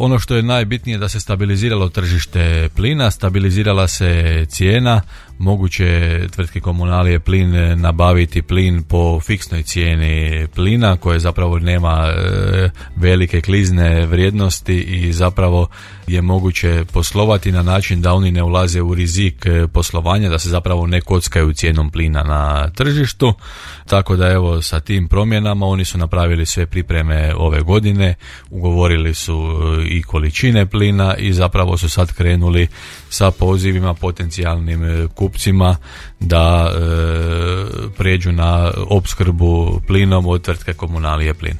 Ono što je najbitnije da se stabiliziralo tržište plina, stabilizirala se cijena, moguće tvrtke Komunalije plin nabaviti plin po fiksnoj cijeni plina koje zapravo nema velike klizne vrijednosti i zapravo je moguće poslovati na način da oni ne ulaze u rizik poslovanja, da se zapravo ne kockaju cijenom plina na tržištu. Tako da evo sa tim promjenama oni su napravili sve pripreme ove godine, ugovorili su i količine plina i zapravo su sad krenuli sa pozivima potencijalnim kupcima da prijeđu na opskrbu plinom od tvrtke Komunalije plin.